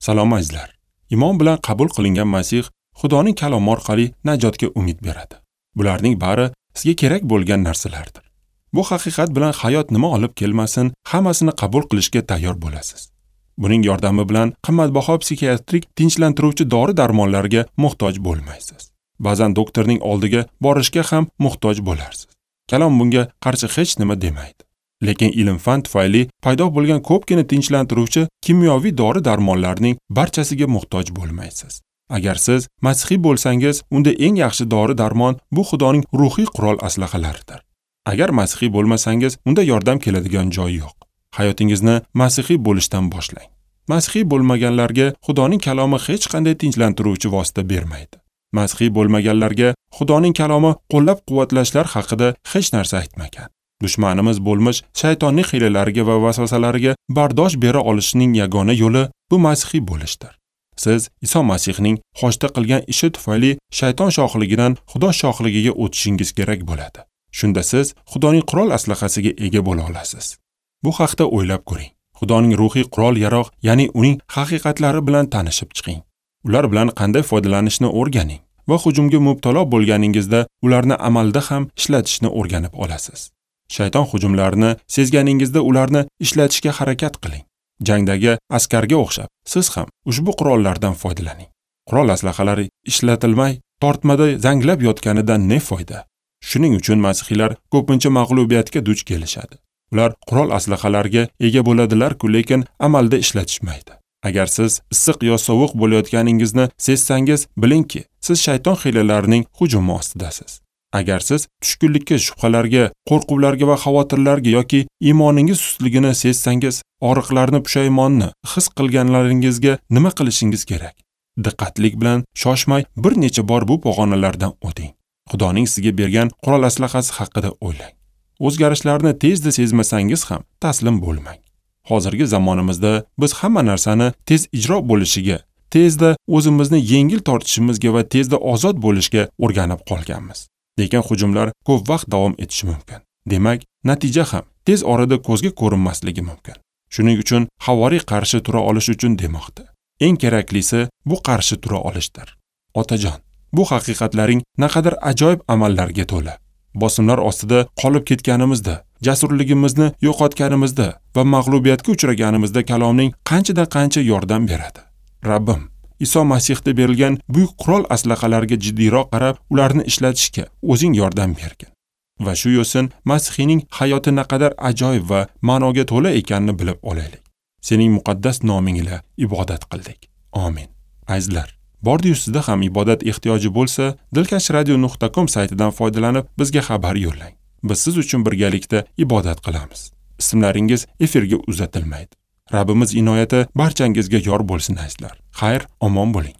Salom azizlar. Iymon bilan qabul qilingan Masih Xudoning kalomi orqali najotga umid beradi. Bularning bari sizga kerak bo'lgan narsalardir. Bu haqiqat bilan hayot nima olib kelmasin, hammasini qabul qilishga tayyor bo'lasiz. Buning yordami bilan qimmatbaho psixiatrik tinchlantiruvchi dori-darmonlarga muhtoj bo'lmaysiz. Ba'zan doktorning oldiga borishga ham muhtoj bo'larsiz. Kalom bunga qarshi hech nima demaydi. Lekin ilm-fan tufayli paydo bo'lgan ko'pgina tinchlantiruvchi kimyoviy dori-darmonlarning barchasiga muhtoj bo'lmaysiz. Agar siz masihiy bo'lsangiz, unda eng yaxshi dori-darmon bu Xudoning ruhiy qurol aslahalaridir. Agar masihiy bo'lmasangiz, unda yordam keladigan joy yo'q. Hayotingizni masihiy bo'lishdan boshlang. Masihiy bo'lmaganlarga Xudoning kalomi hech qanday tinchlantiruvchi vosita bermaydi. Masihiy bo'lmaganlarga Xudoning kalomi qo'llab-quvvatlashlar haqida hech narsa aytmagan. Dushmanimiz bo'lmish shaytonning hiylalariga va vasvasalariga bardosh bera olishning yagona yo'li bu masihiy bo'lishdir. Siz Iso Masihning xochda qilgan ishi tufayli shayton shohligidan Xudo shohligiga o'tishingiz kerak bo'ladi. Shunda siz Xudoning qurol aslahasiga ega bo'la olasiz. Bu haqda o'ylab ko'ring. Xudoning ruhiy qurol-yarog', ya'ni uning haqiqatlari bilan tanishib chiqing. Ular bilan qanday foydalanishni o'rganing va hujumga mubtalo bo'lganingizda ularni amalda ham ishlatishni o'rganib olasiz. Shayton hujumlarini sezganingizda ularni ishlatishga harakat qiling. Jangdagi askarga o'xshab siz ham ushbu qurollardan foydalaning. Qurol aslahalari ishlatilmay tortmada zanglab yotganidan ne foyda? Shuning uchun masihiylar ko'pincha mag'lubiyatga duch kelishadi. Ular qurol aslahalarga ega bo'ladilar-ku, lekin amalda ishlatishmaydi. Agar siz issiq yo sovuq bo'layotganingizni sezsangiz, bilingki, siz shayton hiylalarining hujumi ostidasiz. Agar siz tushkunlikka, shubhalarga, qo'rquvlarga va xavotirlarga yoki iymoningiz sustligini sezsangiz, og'riqlarni, pushaymonni his qilganlaringizga nima qilishingiz kerak? Diqqatlik bilan shoshmay bir necha bor bu pog'onalardan o'ting. Xudoning sizga bergan qurol aslahasi haqida o'ylang. O'zgarishlarni tezda sezmasangiz ham taslim bo'lmang. Hozirgi zamonimizda biz hamma narsani tez ijro bo'lishiga, tezda o'zimizni yengil tortishimizga va tezda ozod bo'lishga o'rganib qolganmiz. Lekin hujumlar ko'p vaqt davom etishi mumkin. Demak, natija ham tez orada ko'zga ko'rinmasligi mumkin. Shuning uchun havoriy qarshi tura olish uchun demoqda. Eng keraklisi bu qarshi tura olishdir. Otajon, bu haqiqatlaring naqadar ajoyib amallarga to'la. Bosimlar ostida qolib ketganimizda, jasurligimizni yo'qotganimizda va mag'lubiyatga uchraganimizda kalomning qanchadan qancha yordam beradi. Rabbim, Iso Masihda berilgan buyuk qurol aslahalarga jiddiyroq qarab, ularni ishlatishga o'zing yordam bergin. Va shu yo'sin Masihning hayoti naqadar ajoyib va ma'noga to'la ekanini bilib olaylik. Sening muqaddas noming ila ibodat qildik. Amin. Azizlar, bordi-yu sizda ham ibodat ehtiyoji bo'lsa, dilkashradio.com saytidan foydalanib bizga xabar yo'llang. Biz siz uchun birgalikda ibodat qilamiz. Ismlaringiz efirga uzatilmaydi. Rabbimiz inoyati barchangizga yor bo'lsin azizlar. Xayr, omon bo'ling.